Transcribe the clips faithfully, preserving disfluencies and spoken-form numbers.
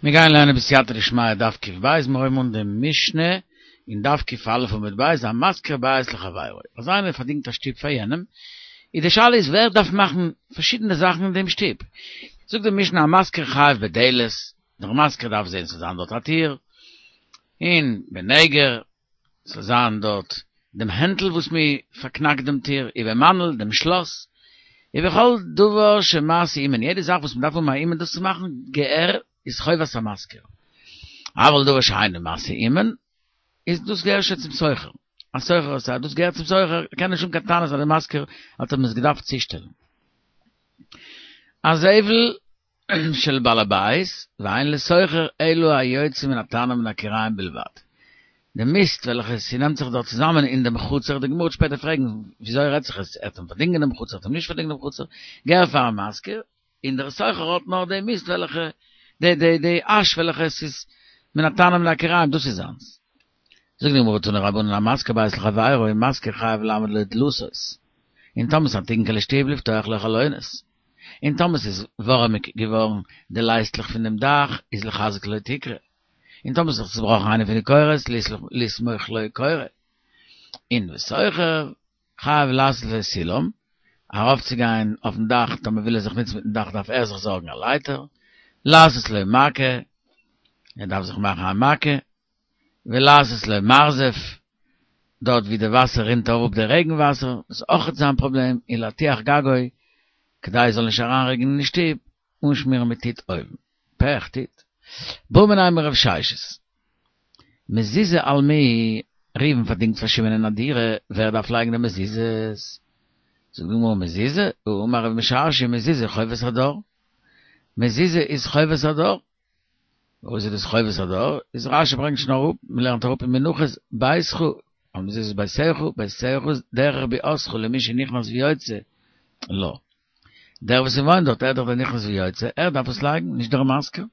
מיר גייען לערנען בסייעתא דשמיא דף קוף בית, מיר הויבן אן דעם משנה אין דף קוף אלף עמוד בית, המשכיר בית לחבירו. אז איינער פארדינגט א שטוב פאר יענעם, איז די שאלה איז ווער דארף מאכן פארשידענע זאכן אין דעם שטוב. זאגט די משנה המשכיר חייב בדלת, דער משכיר דארף זען ס'זאל זיין דארט א טיר, און בנגר ס'זאל זיין דארט דעם הענטל וואס מען פארקנאקט דעם טיר, ובמנעול דעם שלאס, ובכל דבר שמעשה אומן, יעדע זאך וואס מען דארף האבן א אומן דאס צו מאכן, געהער איז חובת המשכיר. אבל דבר שאינו מעשה אומן, איז דאס געהער שוין צום שוכר. השוכר עושהו, דאס געהער צום שוכר, קען נישט האבן קיין טענות אז דער משכיר האט אים עס געדארפט צושטעלן. הזבל של בעל הבית, ואין לשוכר אלא היוצא מן התנור מן הכיריים בלבד. די מיסט וועלכע ס'נעמט זיך דארט צוזאמען אין דעם חצר, די גמרא וועט שפעטער פרעגן וויאזוי רעדט זיך עס, ער האט אים פארדינגען דעם חצר, ער האט אים נישט פארדינגען דעם חצר, געהער פארן משכיר, און דער שוכר האט נאר די מיסט וועלכע, די די די אש וועלכע עס איז מן התנור מן הכיריים, דאס איז זיינס. זאגט די גמרא תנו רבנן המשכיר בית לחבירו משכיר חייב לעמוד לו דלתות, און טאמער ס'איז א טונקעלע שטוב לפתוח לו חלונות, און טאמער ס'איז ווארעמיג געווארן די לייסטלעך פון דעם דאך איז לחזק לו תקרה, און טאמער ס'איז זיך צובראכן איינע פון די קורות לסמוך לו קורה, און ושוכר חייב לעשות לו סולם, ארויפצוגיין אויפן דאך, טאמער וויל ער זיך נוצן מיטן דאך דארף ער זיך זארגן א לייטער, לעשות לו מעקה, ער דארף זיך מאכן א מעקה, ולעשות לו מרזף, דארט ווי די וואסער רינט אראפ די רעגן וואסער, דאס איז אויכעט זיין פראבלעם, און להטיח גגו, כדי עס זאל נישט אריינרעגענען אין שטוב, אנשמירן מיט טיט אויבן. פעך, טיט. בעא מיניה מרב ששת. מזוזה על מי, ראובן פארדינגט פאר שמעון א דירה, ווער דארף לייגן די מזוזות? זאגט די גמרא מזוזה, האמר רב משרשיא מזוזה חובת הדר. מזוזה איז חובת הדר. וואס איז דאס חובת הדר? איז רשי ברענגט שוין אראפ, מען לערנט אראפ אין מנחות, ביתך, על מזוזות ביתך, ביתך איז דרך ביאתך למי שנכנס ויוצא לה. דער וואס וואוינט דארט, ער איז דאך דער נכנס ויוצא, ער דארף עס לייגן, נישט דער משכיר.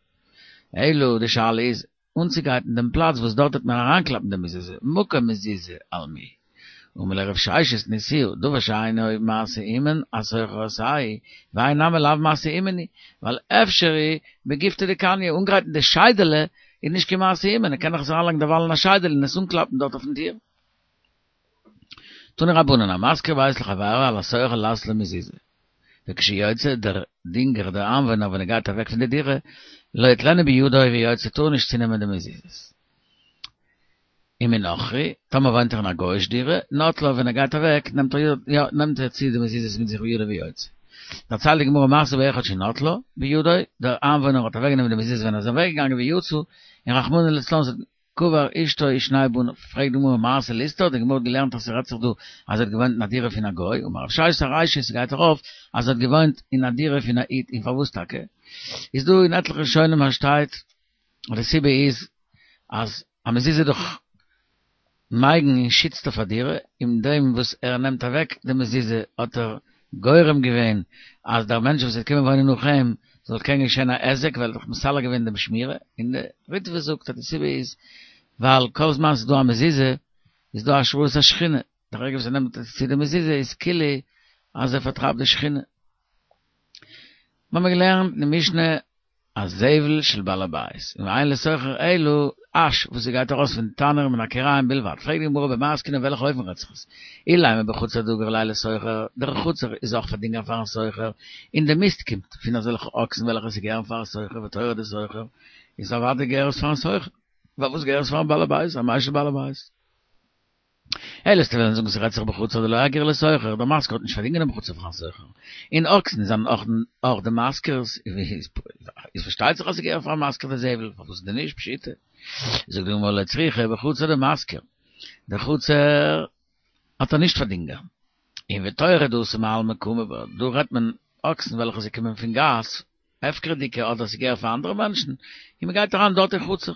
אלא די שאלה איז, אנצוגרייטן דעם פלאץ וואס דארט וועט מען אריינקלאפן די מזוזה, מקום מזוזה על מי. אמר ליה רב ששת ניתיהו, דבר שאינו מעשה אומן, השוכר עושהו, והאי נמי לאו מעשה אומן הוא, ווייל אפשרי בגיפתא דקניא, אנגרייטן די שיידעלע איז נישט קיין מעשה אומן, ער קען דאך עס אריינלייגן דערווייל אין א שיידעלע און עס אנקלאפן דארט אויפן טיר. תנו רבנן, המשכיר בית לחברו על השוכר לעשות לו מזוזה. וכשיוצא דער דינגער דער איינוואוינער ווען ער גייט אוועק פון די דירה, לא יטלנו בידו ויוצא טאר נישט צונעמען די מזוזות. ומנכרי, טאמער וואוינט ער אין א גוי'איש דירה, נוטלה ווען ער גייט אוועק נעמט ער יא נעמט ער צו די מזוזות מיט זיך בידו ויוצא. דערציילט די גמרא מעשה באחד שנטלה בידו, דער איינוואוינער האט אוועקגענומען די מזוזות ווען ער איז אוועקגעגאנגען ויצא, און רחמנא לצלן ס'האט קבר אשתו ושני בניו, פרעגט די גמרא מעשה לסתור, די גמרא האט געלערנט אז ס'רעדט זיך דא אז ער האט געוואוינט אין א דירה פון א גוי, אמר רב ששת ארישא ס'גייט ארויף אז ער האט געוואוינט אין א דירה פון א איד, און פארוואס טאקע? איז דא אין עטליכע ראשונים אז שטייט אז די סיבה איז אז א מזוזה איז דאך מגין און שיצט אויף א דירה, אין דעם וואס ער נעמט אוועק די מזוזה האט ער גורם געווען אז דער מענטש וואס וועט קומען וואוינען נאך אים זאל קענען געשען א היזק ווייל ער האט דאך מסלק געווען דעם שמירה, און די ריטבא זאגט אז די סיבה איז ווייל כל זמן ס'איז דא א מזוזה איז דא השראת השכינה, די רגע וואס ער נעמט צו די מזוזה איז כאילו אז ער פארטרייבט די שכינה. מ'האמיר געלערנט אין די משנה הזבל של בעל הבית, און ואין לשוכר אלא אש וואס ס'גייט ארויס פון תנור מן הכיריים בלבד, פרעגט די גמרא במאי עסקינן אין וועלכע אופן רעדט זיך עס, אילימא בחצר דגר ליה לשוכר, דער חצר איז אויך פארדינגען פארן שוכר, און די מיסט קומט פון אזעלכע אקסן וועלכע ס'געהערן פארן שוכר ותורי דשוכר, איז אוודאי געהער עס פארן שוכר, פארוואס געהער עס פארן בעל הבית, אמאי של בעל הבית? אלא וועסטו וועלן זאגן ס'רעדט זיך בחצר דלא אגרה לשוכר, דער משכיר האט נישט פארדינגען דעם חצר פארן שוכר, און אקסן זענען אויך אויך די משכיר'ס, איז פארשטייט זיך אז ס'געהער פארן משכיר די זבל, פארוואס דען נישט פשיטא? זאגט די גמרא לא צריכא בחצר דמשכיר, די חצר האט ער נישט פארדינגען, און ותורי דאתו מעלמא קמו בה, דא רעדט מען אקסן וועלכע זיי קומען פון גאס, הפקר'דיגע אדער ס'געהער פאר אנדערע מענטשן, און מ'גייט אריין דארט אין חצר,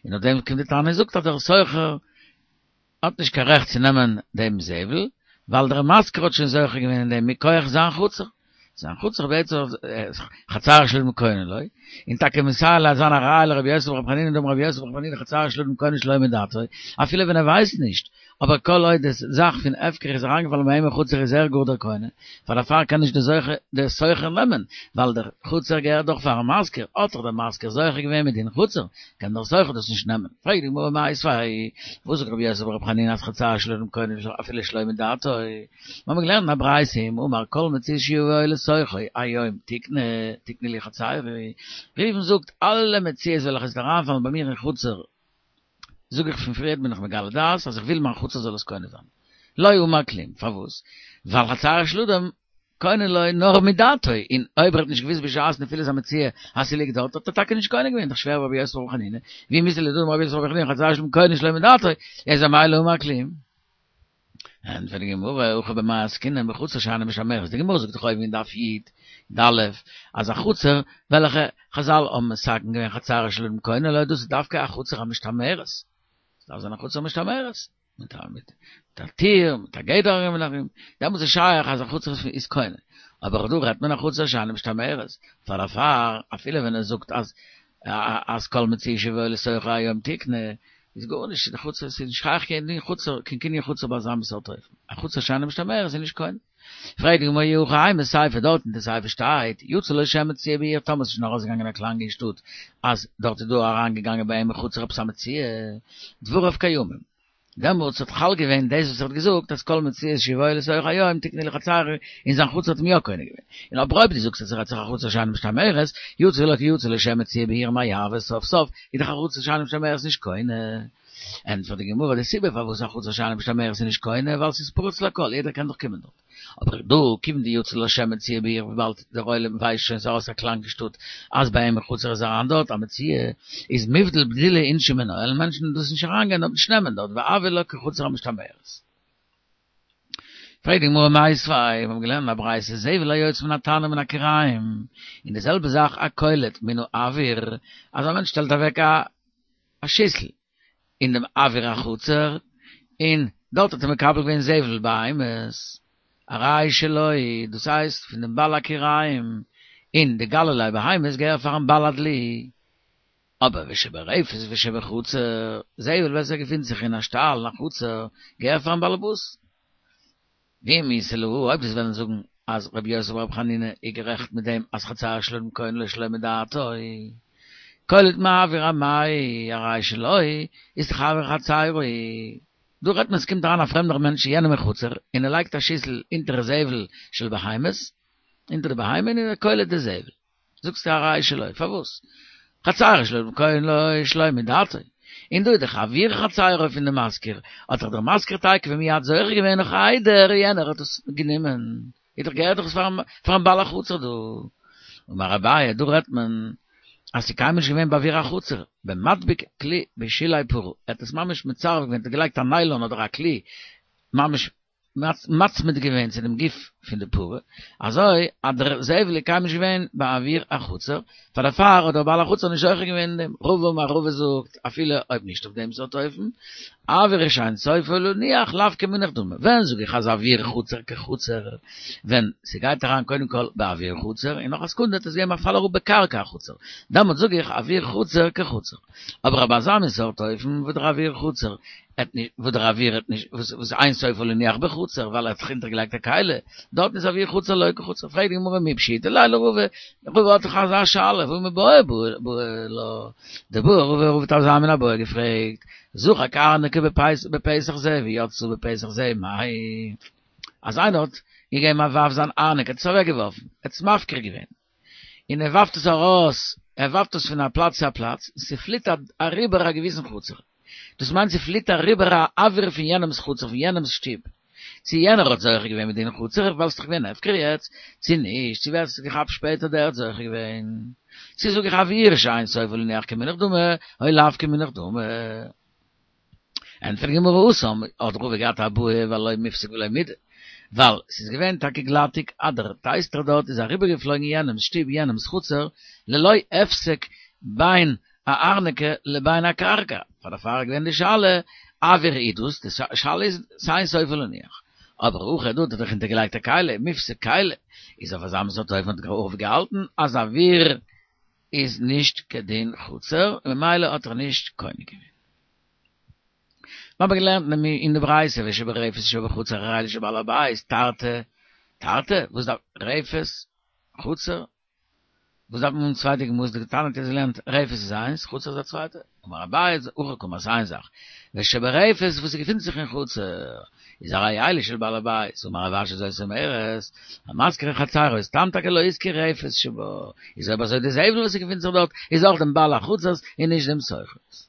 און אויף דעם קומט די תנא און זאגט אז דער שוכר האט נישט קיין רעכט צו נעמען דעם זבל, ווייל דער משכיר האט שוין זוכה געווען אין דעם מכח זיין חצר, זיין חוצר בעצם חצר של אדם קונה לו, און טאקע מסייע ליה זיין א ראיה לרבי יוסי ברבי חנינא דאמר רבי יוסי ברבי חנינא חצר של אדם קונה שלא מדעתו, אפילו ווען ער ווייסט נישט, אבער כל עוד די זאך פון הפקר איז אריינגעפאלן ביי אים אין חצר איז ער גאר דער קונה, פאר דערפאר קען נישט דער זוכה דער שוכר נעמען, ווייל דער חצר געהערט דאך פארן משכיר, האט דאך דער משכיר זוכה געווען מדין חצר, קען דער שוכר דאס נישט נעמען. פרעגט די גמרא מיתיבי, וואס זאגט רבי יוסי ברבי חנינא אז חצר של אדם קונה אפילו שלא מדעתו? מיר האבן געלערנט אין א ברייתא אם אמר כל מציאות שיבואו לתוכו היום תקנה תקנה לי חצרי, ראובן זאגט אלע מציאות וועלכע עס וועט אריינפאלן ביי מיר אין חצר זאג איך פון פריערט בין איך מגלה דעת אז איך וויל מיין חצר זאל עס קונה זיין. לא אמר כלום, פארוואס? ווייל חצרו של אדם קונה לו נאר מדעתו, און אויב ער האט נישט געוואוסט בשעת נפילת המציאה אז ס'ליגט דארט האט ער טאקע נישט קונה געווען, דאך שווער רבי יוסי ברבי חנינא, ואי מית לדאמר רבי יוסי ברבי חנינא חצרו של אדם קונה שלא מדעתו, איז אמאי לא אמר כלום. ענטפערט די גמרא, הכא במאי עסקינן בחצר שאינה משתמרת, די גמרא זאגט דאך אויבן אין דף י"א אז א חצר וועלכע חזל האבן מתקן געווען חצרו של אדם קונה לו, דאס איז דווקא א חצר המשתמרת, עס דארף זיין א חצר משתמרת, מיט א מיט א טיר, מיט א גדר ארום און ארום, דעמאלטס איז שייך אז א חצר איז קונה, אבער דא רעדט מען א חצר שאינה משתמרת, פאר דערפאר אפילו ווען ער זאגט אז אז כל מציאה שיבואו לתוכו היום תקנה, איז גארנישט, די חצר איז נישט שייך קיין דין חצר, קיין קנין חצר ביי אזא מין סארט אופן, א חצר שאינה משתמרת איז נישט קונה. פרעגט די גמרא אי הכי אימא סיפא, דארט אין די סיפא שטייט, יצא לו שם מציאה בעיר טאמער ס'איז שוין ארויסגעגאנגען א קלאנג אין שטאט אז דארט איז דא אריינגעגאנגען ביי אים אין חצר עפעס א מציאה, דבריו קיימים. דעמאלטס האט חל געווען דאס וואס ער האט געזאגט אז כל מציאות שיבואו לתוכו היום תקנה לי חצרי און זיין חצר האט אים יא קונה געווען. און אבער אויב דו זאגסט אז ס'רעדט זיך א חצר שאינה משתמרת, יצא לו כיצא לו שם מציאה בעיר מאי הוי סוף סוף איז דאך א חצר שאינה משתמרת נישט קונה. ענטפערט די גמרא די סיבה פארוואס א חצר שאינה משתמרת איז נישט קונה ווייל ס'איז פרוץ לכל יעדער קען דאך קומען דארט. אבער דא כיון דיצא לו שם מציאה בעיר וויבאלד דער עולם ווייסט שוין ס'איז ארויס א קלאנג אין שטאט אז ביי אים אין חצר איז אריין דארט א מציאה איז מיבדל בדילי אינשי מינה וועלן מענטשן דאס נישט אריינגיין דארט נישט נעמען דארט והויא לה כחצר המשתמרת. פרעגט די גמרא מיתיבי, מיר האבן געלערנט אין א ברייתא זבל היוצא מן התנור מן הכיריים, און די זעלבע זאך הקולט מן האוויר, אז א מענטש שטעלט אוועק א שיסל אין דעם אוויר החצר, און דארט האט ער מקבל געווען זבל בהמות, הרי שלו, דאס הייסט פון דעם בעל הכיריים, און די גללי בהמות געהער פארן בעל הדלי. אבער ושברפת ושבחצר, זבל וועלכע געפינט זיך אין א שטאל אין א חצר, געהער פארן באלעבאס. ואי מיתא להא, אויב דו'סט וועלן זאגן אז רבי יוסי ברבי חנינא איז גערעכט מיט דעם אז חצרו של אדם קונה לו שלא מדעתו, קולט מאויר אמאי הרי שלו איז דאך אויר חצרו. דא רעדט מען ס'קומט אריין א פרעמדער מענטש אין יענעם חצר און ער לייגט א שיסל אונטער זבל של בהמות, אונטער די בהמה און ער קולט די זבל. זאגסטו הרי שלו, פארוואס? חצרו של אדם קונה לו שלא מדעתו. און דא איז דאך אויר חצרו פון די משכיר, האט דאך דער משכיר תיכף ומיד זוכה געווען נאך איידער יענער האט עס גענומען, איז דאך געהערט דאך עס פארן בעל החצר דא. אמר אביי, דא רעדט מען אז ס'איז קיינמאל נישט געווען באוויר החצר, במדביק כלי בשולי פרה, ער האט עס ממש מצרף געווען, ער האט געלייגט א ניילאן אדער א כלי ממש מצמיד געווען צו דעם גוף פון די פרה, אזוי אז דער זבל איז קיינמאל נישט געווען באוויר החצר, פאר דערפאר האט דער בעל החצר נישט זוכה געווען אין דעם. רבא אמר רבא זאגט, אפילו אויב נישט אויף דעם סארט אופן, אויר שאין סופו להניח לאו כמונח דמי, ווען זאג איך אז אויר חצר כחצר, ווען ס'גייט אריין קודם כל באוויר חצר, און נאך א סעקונדע וועט עס געבן א פאל אראפ בקרקע החצר, דעמאלט זאג איך אויר חצר כחצר. אבער אויף אזא מין סארט אופן וואס דער אויר חצר האט נישט, וואס דער אויר האט נישט, וואס אין סופו להניח בחצר, ווייל ער האט זיך אונטערגעלייגט א כלי, דארטן איז אויר חצר לא כחצר. פרעגט די גמרא מי פשיטא ליה לרבא, רבא האט דאך אזא שאלה, והא מיבעיא בעי לה, דבעי רבא, רבא האט אזא מין איבעיא געפרעגט, זרק ארנקי בפתח זה ויצא בפתח זה מהו, אז איינער האט געגעבן א ווארף זיין ארנק, ער האט עס אוועק געווארפן, ער האט עס מפקיר געווען, און ער ווארפט עס ארויס, ער ווארפט עס פון א פלאץ צו א פלאץ, און ס'פליט אריבער א געוויסן חצר, דאס מיינט ס'פליט אריבער א אויר פון יענעמ'ס חצר, פון יענעמ'ס שטוב, צו יענער האט זוכה געווען מדין חצר, ווייל ס'דאך געווען הפקר יעצט, צו נישט, צו ווער ס'האט געכאפט שפעטער דער האט זוכה געווען. צו זאג איך אויר שאין סופו להניח כמונח דמי, או לאו כמונח דמי. ענטפערט די גמרא התם, האט רבא געהאט א בעיא ווייל לא מיפסק ולא מידי, ווייל ס'איז געווען טאקע גלאטיג אז דער טייסטער דארט איז אריבערגעפלויגן יענעמ'ס שטוב יענעמ'ס חצר ללא הפסק בין הארנקי לבין הקרקע, פאר דערפאר איז געווען די שאלה אויר איז דאס, די שאלה איז שאין סופו להניח, אבער הכא דא האט ער דאך אונטערגעלייגט א כלי, מיפסק כלי, איז אויף אזא מין סארט אופן האט רבא געהאלטן אז אוויר איז נישט כדין חצר, ממילא האט ער נישט קונה געווען. מיר האבן געלערנט אין די ברייתא ושברפת שבחצר הרי אלו של בעל הבית, תרתי, תרתי, וואס דארף רפת, חצר, וואס דארף מען האבן צוויי דוגמאות, דקתני האט אונז געלערנט רפת איז איינס, חצר איז א צווייטע, אמר אביי הכי קאמר ס'איז איין זאך, ושברפת וואס ס'געפינט זיך אין חצר, איז הרי אלו של בעל הבית, אמר רב אשי זאת אומרת, המשכיר חצרו, סתם טאקע לא השכיר רפת שבה, איז אויב אזוי די זבל וואס ס'געפינט זיך דארט איז אויך דעם בעל החצר'ס און נישט דעם שוכר'ס.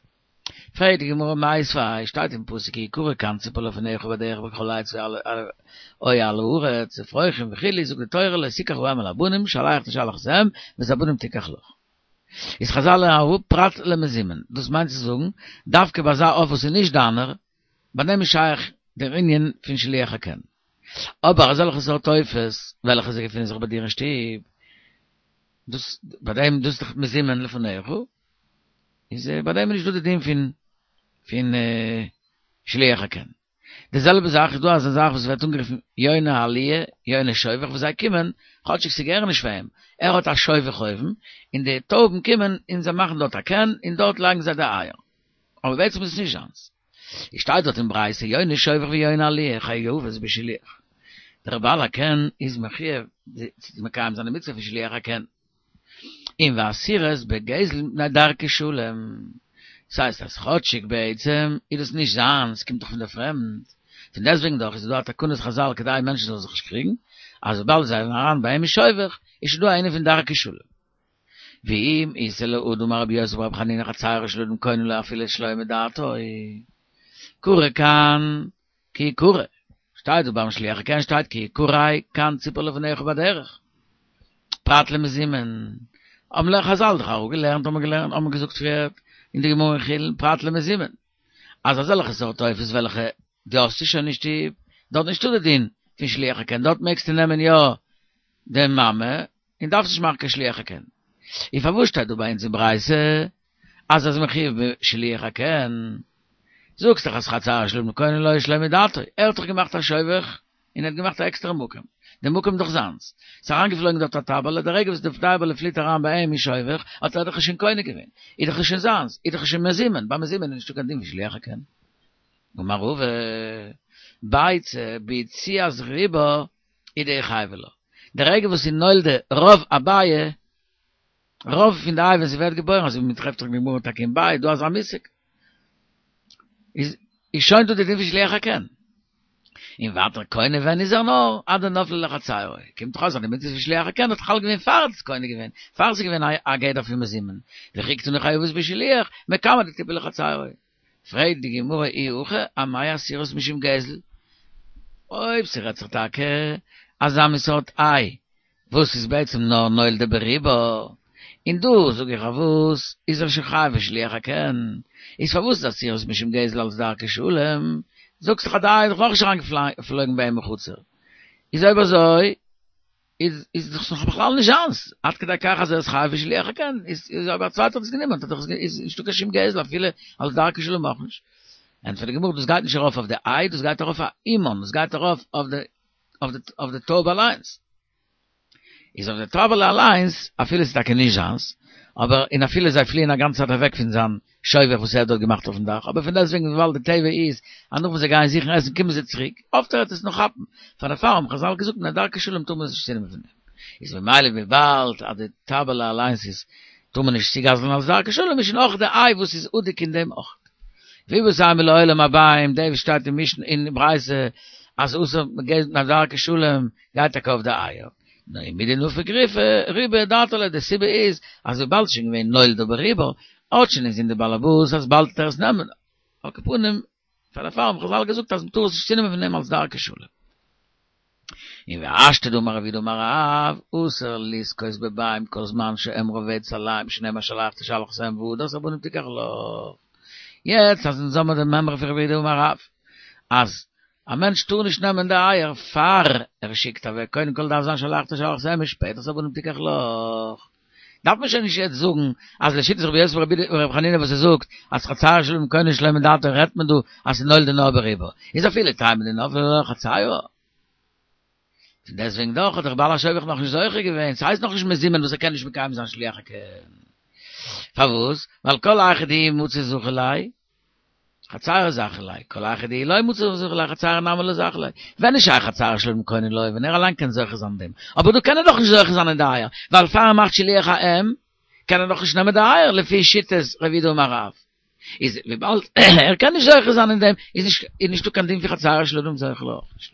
פרעגט די גמרא מיתיבי, שטייט אין פסוק כי יקרא קן ציפור לפניך בדרך בכל עץ או על הארץ אפרוחים וכו', זאגט די תורה לא תקח האם אל הבנים שלח תשלח את האם ואת הבנים תיקח לך. איז חזל לערנען אראפ פרט למזומן, דאס מיינט צו זאגן, דווקא ביי אזא עוף וואס איז נישט דיינער, ביי דעם איז שייך דער ענין פון שילוח הקן. אבער אזעלכע סארט עופות וועלכע זיי געפינען זיך ביי דיר אין שטוב, דאס ביי דעם דאס איז דאך מזומן לפניך, איז ביי דעם איז נישטא די דין פון פון שילוח הקן. די זעלבע זאך איז דא אזא זאך וואס ווערט אנגערופן יוני העליה, יוני שובך וואס זיי קומען, כאטשיג ס'געהער נישט פאר אים, ער האט א שובך אויבן, און די טויבן קומען און זיי מאכן דארט א קן און דארט לייגן זיי די אייער. אבער בעצם איז עס נישט זיינס. עס שטייט דארט אין ברייתא יוני שובך ויוני עליה חייבות בשילוח. דער בעל הקן איז מחויב צו מקיים זיין די מצוה פון שילוח הקן. און ואסורות בגזל מפני דרכי שלום. ס'הייסט אז כאטשיג בעצם איז דאס נישט זיינס, ס'קומט דאך פון דער פרעמד, פון דעסטוועגן דאך איז דא א תקנת חזל כדי מענטשן זאלן זיך נישט קריגן, אז וויבאלד זיי זענען אריין ביי אים אין שובך, איז שוין דא א ענין פון דרכי שלום. ואם איתא להא דאמר רבי יוסי ברבי חנינא חצרו של אדם קונה לו אפילו שלא מדעתו. קרא קן כי יקרא, שטייט דא ביים שילוח הקן שטייט כי יקרא קן ציפור לפניך בדרך. פרט למזומן. האבן ל חזל דאך אראפגעלערנט האבן געלערנט האבן געזאגט פריער אין די גמרא אין חולין פרט למזומן. אז אזעלכע סארט עופות וועלכע דו האסט שוין אין שטוב, דארט נישטא די דין פון שילוח הקן, דארט מעגסטו נעמען יא די מאמע, און דארפסט נישט מאכן קיין שילוח הקן. און פארוואס שטייט דא ביי אונז אין ברייתא אז ער איז מחויב בשילוח הקן? זאגסט דאך אז חצרו של אדם קונה לו שלא מדעתו, ער האט דאך געמאכט א שובך און ער האט געמאכט א עקסטערע מקום, די מקום איז דאך זיינס, ס'איז אריינגעפלויגן דארט א טייבעלע, די רגע וואס די טייבעלע פליט אריין ביי אים אין שובך האט ער דאך עס שוין קונה געווען, איז דאך עס שוין זיינס, איז דאך עס שוין מזומן, ביי מזומן איז נישטא קיין דין פון שילוח הקן. אמר רבא, ביצה ביציאת רובה הוא דאיחייבא לה. די רגע וואס איז נולדה רוב הביעא, רוב פון די איי ווען ס'ווערט געבוירן, אזוי ווי מ'טרעפט זיך אין גמרא טאקע אין ביעא, דא אזא מושג, איז איז שוין דא די דין פון שילוח הקן. און ווייטער קונה ווען איז ער נאר עד דנפלה לחצירו, קומט דאך אויס אז די מצוה פון שילוח הקן האט חל געווען פאר ער האט עס קונה געווען, פאר ס'איז געווען א גדר פון מזומן, וכי קתני חייבות בשילוח, מקמי דתיפול לחצירו. פרעגט די גמרא אי הכי אמאי אסירות משום גזל? אויב ס'רעדט זיך טאקע אזא מין סארט איי וואס איז בעצם נאר נולדה ברובה, און דא זאג איך אויף וואס איז ער שוין חייב בשילוח הקן, איז פארוואס איז אסירות משום גזל אלס דרכי שלום? זאגסט דאך אז די איי איז דאך נאכנישט אריינגעפלויגן ביי אים אין חצר, איז אויב אזוי איז איז דאך נאך בכלל נישט זיינס, עד כדי כך אז ער איז חייב בשילוח הקן, איז איז אויב א צווייטער האט עס גענומען האט ער דאך איז נישטא קיין שום גזל אפילו אלס דרכי שלום אויך נישט. ענטפערט די גמרא דאס גייט נישט ארויף אויף די איי דאס גייט ארויף אויף אמן דאס גייט ארויף אויף די אויף די אויף די טויב אליינס. איז אויף די טייבעלע אליינס אפילו ס'איז טאקע נישט זיינס, אבער און אפילו זיי פליען א גאנצע צייט אוועק פון זיין שובך וואס ער האט דארט געמאכט אויפן דאך, אבער פון דעסטוועגן וויבאלד די טבע איז אז נאך וואס זיי גייען זוכן עסן קומען זיי צוריק, אפט ער וועט עס נאך כאפן, פאר דערפאר האבן חזל געזאגט מפני דרכי שלום טאר מען עס נישט צונעמען פון אים. איז ממילא וויבאלד אז די טייבעלע אליינס איז טאר מען נישט צוגזל'ן אלס דרכי שלום איז שוין אויך די איי וואס איז אדוק אין דעם אויך. ואיבעית אימא לעולם אביים דאס וואס שטייט אין משנה אין ברייתא אז אסור בגזל מפני דרכי שלום גייט טאקע אויף די אייער. נאר מדנפק רובה אדעתא די סיבה איז אז וויבאלד ס'איז שוין געווען נולדה ברובה האט שוין אינזין די באלעבאס אז באלד וועט ער עס נעמען על כל פנים פאר דערפאר האבן חזל געזאגט אז מ'טאר עס נישט צונעמען פון אים אלס דרכי שלום. און והשתא דאמר רב יהודה אמר רב, אסור לזכות בביים כל זמן שהן רובץ עליהם שנאמר שלח תשלח את האם והדרת הבנים תיקח לך. יעצט אז אונז האמער די מימרא פון רב יהודה אמר רב אז א מענטש טאר נישט נעמען די אייער פאר ער שיקט אוועק, קודם כל דארף זיין שלח תשלח את האם און שפעטער את הבנים תיקח לך. דארף מען שוין נישט יעצט זאגן אז לשיטת רבי יוסי ברבי חנינא וואס ער זאגט אז חצרו של אדם קונה שלא מדעתו רעדט מען דא אז ס'איז נולדה נאר ברובה, איז אפילו תימא דנפלה לחצירו. פון דעסטוועגן דאך האט דער בעל השובך נאך נישט זוכה געווען, ס'הייסט נאך נישט מזומן וואס ער קען נישט מקיים זיין שילוח הקן. פארוואס? ווייל כל היכא דמצי זכי ליה, חצירו זכי ליה, כל היכא דלא מצי זכי ליה, חצירו נמי לא זכי ליה. ווען איז שייך חצירו של אדם קונה לו, ווען ער אליין קען זוכה זיין אין דעם. אבער דא קען ער דאך נישט זוכה זיין אין די אייער, ווייל פאר ער מאכט שילוח האם, קען ער דאך נישט נעמען די אייער, לפי שיטת רב יהודה אמר רב. איז וויבאלד ער קען נישט זוכה זיין אין דעם, איז נישט איז נישטא קיין דין פון חצירו של אדם זוכה לו אויך נישט.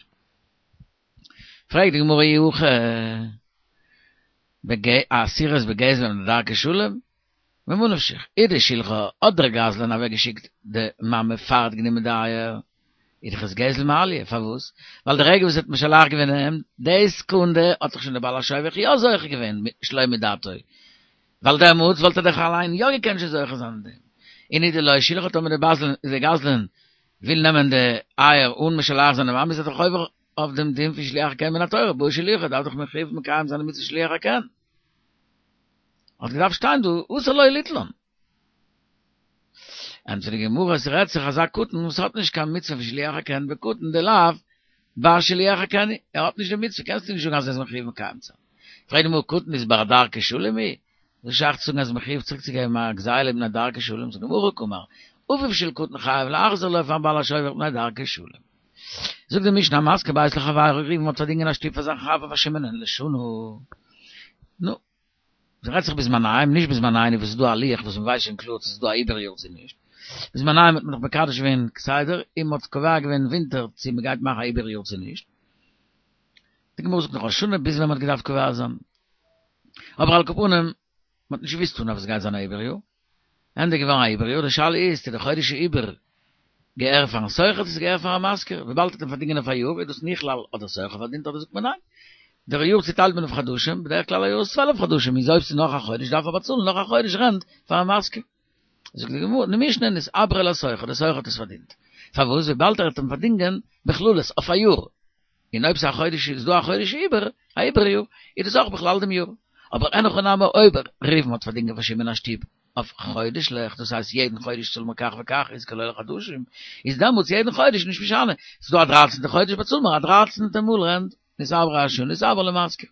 פרעגט די גמרא אי הכי אסירות בגזל מפני דרכי שלום, ממה נפשך, איז דשלחה האט דער גזלן אוועק געשיקט די מאמע פאר ער האט גענומען די אייער, איז דאך עס גזל מעליא, פארוואס? ווייל די רגע וואס ער האט משלח געווען אים, די סעקונדע האט דאך שוין דער בעל השובך יא זוכה געווען שלא מדעתו, ווייל דעמאלטס וואלט ער דאך אליין יא געקענט שוין זוכה זיין אין דעם. און אי דלא שלחה טאמער די גזלן וויל נעמען די אייער אן משלח זיין די מאמע איז ער דאך עובר אויף דעם דין פון שילוח הקן מן התורה, בעי שלוחי דארף דאך מחויב מקיים זיין די מצוה שילוח הקן. האט געדארפט שטיין דא אסור לו ליטלן. ענטפערט די גמרא עס רעדט זיך אזא קטן וואס האט נישט קיין מצוה פון שילוח הקן בקטן דלאו בר שילוח הקן ער האט נישט די מצוה קענסטו נישט זאגן אז ער איז מחויב מקיים צו זיין. פרעגט די גמרא קטן איז בר דרכי שלום הוא? וואס שייך צו זאגן אז מחויב צוריק צו געבן א גזילה מפני דרכי שלום זאגט די גמרא הכי קאמר אביו של קטן חייב להחזיר לו פארן בעל השובך מפני דרכי שלום. זאגט די משנה המשכיר בית לחבירו ראובן האט פארדינגען א שטוב פאר זיין חבר פאר שמעונ'ען לשנה. נו. ס'רעדט זיך בזמניהם, נישט בזמנינו וואס איז דא א לוח וואס מ'ווייסט שוין קלאר צו ס'איז דא א עיבור יאר צו נישט. בזמניהם האט מען דאך מקדש געווען כסדר און מ'האט קובע געווען ווינטער צו מ'גייט מאכן א עיבור יאר צו נישט. די גמרא זאגט נאך ראש השנה ביז ווען מ'האט געדארפט קובע זיין. אבער על כל פנים, מ'האט נישט געוואוסט אנהייב אז ס'גייט זיין א עיבור יאר. ענדע געווארן א עיבור יאר, די שאלה איז צו די חודש העיבור געהער פארן שוכר צו ס'געהער פארן משכיר, וויבאלד האט אים פארדינגען אויף א יאר איז דאס נכלל האט דער שוכר פארדינט אדער זאגט מען ניין דער יאר צוטיילט מען אויף חדשים, בדרך כלל א יאר איז צוועלף חדשים איז אויב ס'איז נאך א חודש דארף ער באצאלן נאך א חודש רענט פארן משכיר. זאגט די גמרא, די משנה נתעברה לשוכר, דער שוכר האט עס פארדינט, פארוואס וויבאלד ער האט אים פארדינגען בכללות אויף א יאר, און אויב ס'איז א חודש איז דא א חודש עיבור, א עיבור יאר, איז דאס אויך בכלל דעם יאר. אבער אין הכי נמי אויב ראובן האט פארדינגען פאר שמעון א שטוב אויף חודש'ליך, דאס הייסט יעדן חודש צאל מיר כך וכך איז כולל חדשים, איז דעמאלטס יעדן חודש נישט משנה, ס'איז דא א דרייצענטע חודש באצאל מיר א דרייצענטע מאל רענט, נתעברה השנה נתעברה למשכיר.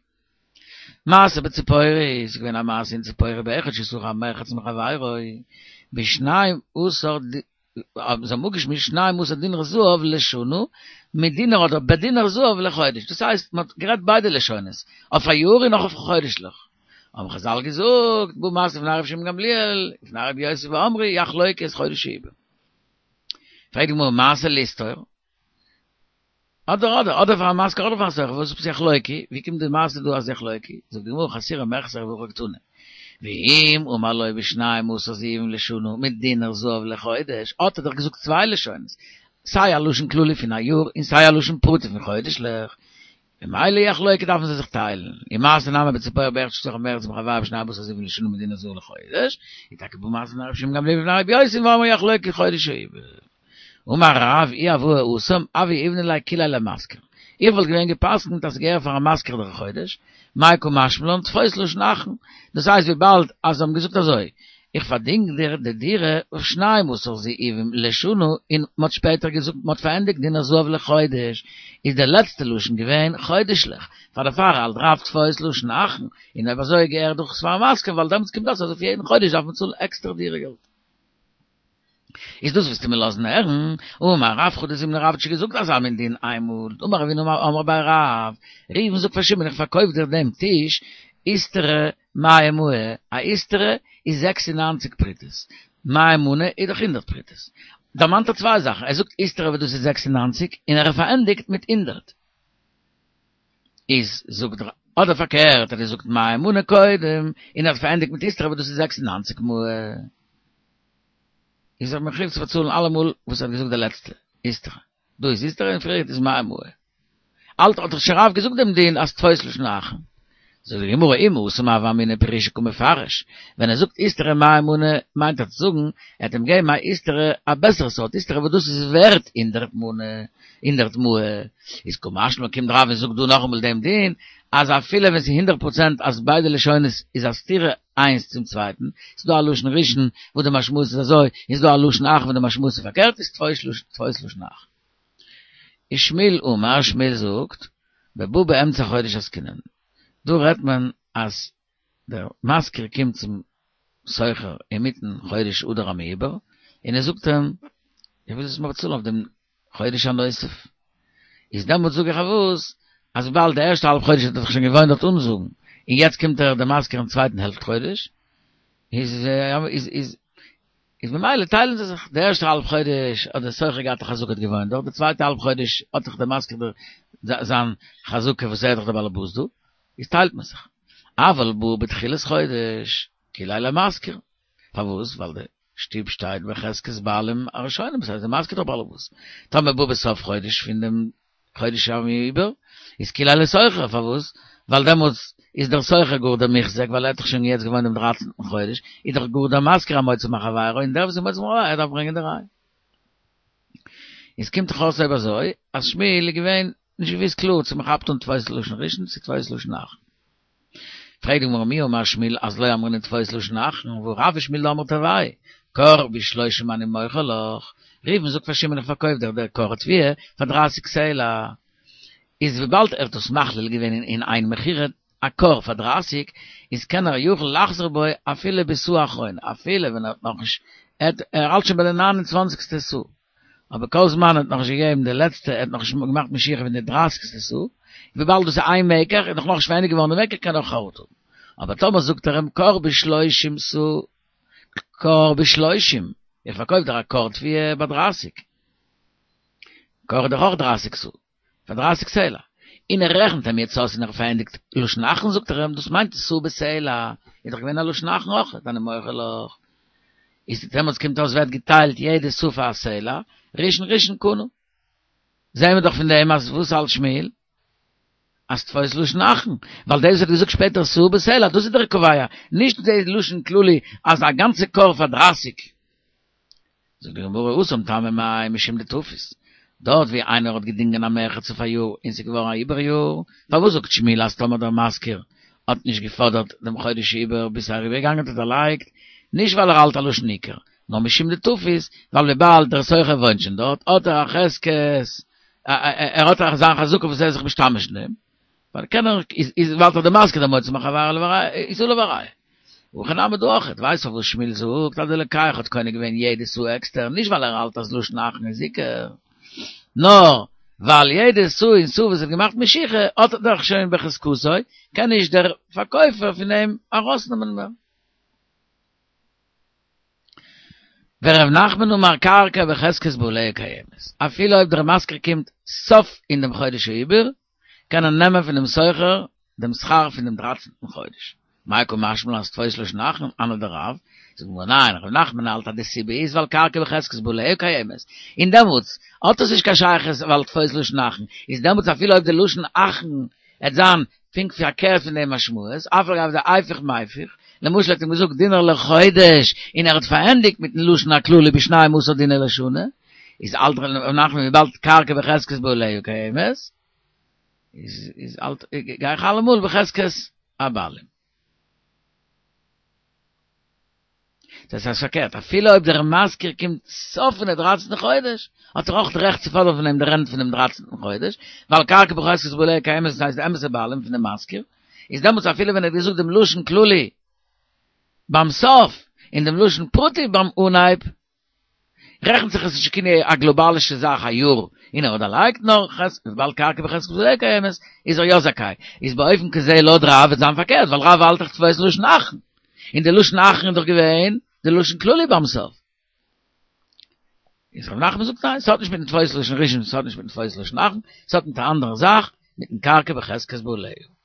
מעשה בציפורי, ס'איז געווען א מעשה אין ציפורי באחד ששכר מרחץ מחבירו, בשנים עשר זיי האבן אפגעשמועסט שנים עשר דינר זהב לשנה, מיט דינר אדער בדינר זהב לחודש, דאס הייסט מען האט גערעדט ביידע לשונות, אויף א יאר און נאך אויף חודש'ליך. האבן חזל געזאגט, בא מעשה לפני רבי שמעון גמליאל, לפני רבי יוסי ואמרו, יחלוקו את חודש העיבור. פרעגט די גמרא, מעשה לסתור? אדער אדער, אדער פאר א משכיר אדער פאר א שוכר, וואס עפעס יחלוקו? ווי קומט די מעשה דא אז יחלוקו? זאגט די גמרא חסורי מחסרא והכי קתני. ואם אמר לו בשנים עשר זהובים לשנה מיט דינר זהב לחודש, האט ער דאך געזאגט צוויי לשונות, סיי א לשון כללי פון א יאר און סיי א לשון פרטי פון חודש'ליך, ממילא יחלוקו דארפן זיי זיך טיילן, ומעשה נמי בציפורי באחד ששכר מרחץ מחבירו בשנים עשר זהובים לשנה מיט דינר זהב לחודש, איז טאקע בא מעשה לפני רבי שמעון גמליאל ולפני רבי יוסי ואמרו יחלוקו חודש העיבור. אמר רב אי הוה התם הוה יהיבנא ליה כוליה למשכיר. איך וואלט געווען גע'פסק'נט אז ס'געהער פאר א משכיר דער חודש, מאי קא משמע לן תפוס לשון אחרון. דאס הייסט וויבאלד אז זיי האבן געזאגט אזוי, איך פארדינג דיר די דירה אויף שנים עשר זהובים לשנה און מ'האט שפעטער געזאגט מ'האט פארענדיגט דינר זהב לחודש, איז דער לעצטע לשון געווען חודש'ליך, פאר דערפאר האלט רב תפוס לשון אחרון, און אויב אזוי געהער דאך עס פארן משכיר ווייל דעמאלטס קומט אויס אז אויף יעדן חודש דארף מען צאלן עקסטער דירה געלט. איז דאס וועסטו מיר לאזן הערן? אמר רב חדא זימנא רב האט שוין געזאגט אזא מין דין איינמאל, אמר רב הונא אמרי בי רב, ראובן זאגט פאר שמעון איך פארקויף דיר דעם טיש איסטרא מאה מאה, א איסטרא איז זעקס און נײַנציק פרוטות, מאה מנה איז דאך הונדערט פרוטות. דערמאנט ער צוויי זאכן, ער זאגט איסטרא וואס דאס איז זעקס און נײַנציק, און ער פארענדיגט מיט הונדערט. איז זאגט ער, אדער פארקערט ער זאגט מאה מנה קודם, און ער האט פארענדיגט מיט איסטרא וואס דאס איז זעקס און נײַנציק מאה. איז ער מחויב צו באצאלן אלעמאל וואס ער האט געזאגט די לעצטע, איסטרא. דא איז איסטרא און פריער איז מאה מאה. אלטער האט דאך שוין רב געזאגט דעם דין אז תפוס לשון אחרון. זאגט די גמרא אם התם הוה אמינא פרושי קא מפרש, ווען ער זאגט איסטרא מאה מנה מיינט ער צו זאגן ער האט אים געגעבן א איסטרא א בעסערע סארט איסטרא וואס דאס איז ווערט הונדערט מנה, הונדערט מאה, איז קא משמע לן קומט רב און זאגט דא נאכאמאל דעם דין אז אפילו ווען ס'איז הונדערט פראצענט אז ביידע לשונות איז א סתירה איינס צום צווייטן, ס'איז דא א לשון ראשון וואס די משמעות איז אזוי, און ס'איז דא א לשון אחרון וואס די משמעות איז פארקערט, איז תפוס לשון אחרון. ושמואל אמר, שמואל זאגט, בבא באמצע חודש עסקינן. דא רעדט מען אז דער משכיר קומט צום שוכר אינמיטן חודש אדר המעובר, און ער זאגט אים, איך וויל זאלסט מיר באצאלן אויף דעם חודש הנוסף. איז דעמאלטס זאג איך אויס, אז וויבאלד די ערשטע האלב חודש האט ער זיך שוין געוואוינט דארט אנזאגן, און יעצט קומט ער דער משכיר אין צווייטן העלפט חודש, איז איז איז איז ממילא טיילן זיי זיך, די ערשטע האלב חודש האט דער שוכר געהאט א חזקה האט געוואוינט דארט, די צווייטע האלב חודש האט דאך דער משכיר זיין חזקה וואס ער איז דאך דער בעל הבית דא, איז טיילט מען זיך. אבל בא בתחילת חודש, כוליה למשכיר. פארוואס? ווייל די שטוב שטייט בחזקת בעלים הראשונים, דאס הייסט דער משכיר איז דאך בעל הבית. טאמער בא בסוף חודש פון דעם חודש העיבור, איז כוליה לשוכר, פארוואס? ווייל דעמאלטס איז דער שוכר גאר דער מוחזק, ווייל ער האט דאך שוין יעצט געוואוינט דעם דרייצנטן חודש, איז דאך גאר דער משכיר א מוציא מחבירו, און דער וואס איז מוציא מחבירו ער דארף ברענגען די ראיה. איז קומט דאך אויס אויב אזוי, אז שמואל איז געווען נישט געוואוסט קלאר צו מען כאפט אן תפוס לשון ראשון צו תפוס לשון אחרון. פרעגט די גמרא מי אמר שמואל אז לא אמרינן תפוס לשון אחרון, והא רב ושמואל דאמרי תרוייהו, כור בשלושים אני מוכר לך, ראובן זאגט פאר שמעון איך פארקויף דיר דער כור תבואה פאר דרײַסיק סלע, איז וויבאלד ער האט דאס מכליל געווען אין איין מכירה א כור פאר דרײַסיק, איז קען ער יכול לחזור בו אפילו בסאה אחרונה, אפילו ווען ער האט נאכנישט, ער האלט שוין ביי די נײַן און צוואַנציקסטע סאה, אבער כל זמן ער האט נאכנישט געגעבן די לעצטע, ער האט נאכנישט געמאכט משיכה פון די דרייסיגסטע סאה, וויבאלד דאס איז איין מקח, איז דאך נאכנישט פארענדיגט געווארן די מקח קען ער נאך חרטה האבן. אבער טאמער זאגט ער אים כור בשלושים סאה, כור בשלושים, איך פארקויף דיר א כור תבואה ביי דרייסיג, כור איז דאך אויך דרייסיג סאה, פאר דרייסיג סלע, און ער רעכנט אים יעצט אויס און ער פארענדיגט לשון אחרון זאגט ער אים דאס מיינט סאה בסלע, איז דאך געווען א לשון אחרון אויך, אני מוכר לך. איז דעמאלטס קומט אויס ווערט געטיילט יעדע סאה פאר א סלע, ראשון ראשון קנה. זעהן מיר דאך פון דעם אז וואס האלט שמואל? אז תפוס לשון אחרון, ווייל דאס וואס האט געזאגט שפעטער סאה בסלע, דאס איז דער קובע, נישט די לשון כללי אז א גאנצע כור פאר דרייסיג. זאגט די גמרא התם טעמא מאי משום דתפיס, דארט ווי איינער האט געדינגען א מרחץ אויף א יאר און ס'איז געווארן א עיבור יאר, פארוואס זאגט שמואל אז טאמער דער משכיר האט נישט געפאדערט דעם חודש עיבור ביז ס'איז אריבערגעגאנגען האט ער דערלייגט, נישט ווייל ער האלט א לשון עיקר, נאר משום דתפיס, ווייל וויבאלד דער שוכר וואוינט שוין דארט האט ער א חזקת, ער האט זיין חזקה וואס ער איז זיך משתמש אין דעם, ווייל קען ער, איז ווייל דער משכיר דער מוציא מחבירו איז עליו הראיה. הכא נמי דא אויכעט, ווייסט פארוואס שמואל זאגט אז דער לוקח האט קונה געווען יעדע סאה עקסטער, נישט ווייל ער האלט אז לשון אחרון איז עיקר, נאר ווייל יעדע סאה און סאה וואס האט געמאכט משיכה האט ער דאך שוין בחזקתו, קען נישט דער פארקויפער פון אים ארויסנעמען מער. ור' נחמן אמר קרקע בחזקת בעליה קיימת, אפילו אויב דער משכיר קומט סוף אין דעם חודש העיבור, קען ער נעמען פון דעם שוכר דעם שכר פון דעם דרייצנטן חודש. מאי קא משמע לן אז תפוס לשון אחרון הני דרב, זאגט די גמרא ניין, ר' נחמן האלט אז די סיבה איז ווייל קרקע בחזקת בעליה קיימת, און דעמאלטס האט עס נישט קיין שייכות ווייל תפוס לשון אחרון, איז דעמאלטס אפילו אויב די לשון אחרון עט זיין פונקט פארקערט פון דעם משמעות, אף על גב דהיפוך מיפוך, למשל האט אים געזאגט דינר לחודש און ער האט פארענדיגט מיטן לשון הכללי בשנים עשר דינר לשנה, איז האלט ר' נחמן וויבאלד קרקע בחזקת בעליה קיימת, איז איז האלט גיי איך אלעמאל בחזקת הבעלים. דאס הייסט פארקערט, אפילו אויב דער משכיר קומט סוף פון די דרייצנטן חודש, האט ער אויך די רעכט צו פאדערן פון אים די רענט פון דעם דרייצנטן חודש, ווייל קרקע בחזקת בעליה קיימת, דאס הייסט די אמת'ע בעלים פון דעם משכיר, איז דעמאלטס אפילו ווען ער האט געזאגט דעם לשון כללי ביים סוף, און דעם לשון פרטי ביים אנהייב, רעכנט זיך עס נישט כאילו א גלאבאלישע זאך א יאר און ער האט דערלייגט נאר וויבאלד קרקע בחזקת בעליה קיימת איז ער יא זכאי איז באופן כזה לויט רב וועט זיין פארקערט ווייל רב האלט דאך תפוס לשון אחרון און די לשון אחרון איז דאך געווען די לשון כללי ביים סוף איז רב נחמן זאגט ניין ס'האט נישט מיטן תפוס לשון ראשון ס'האט נישט מיטן תפוס לשון אחרון ס'האט מיט א אנדערע זאך מיטן קרקע בחזקת בעליה.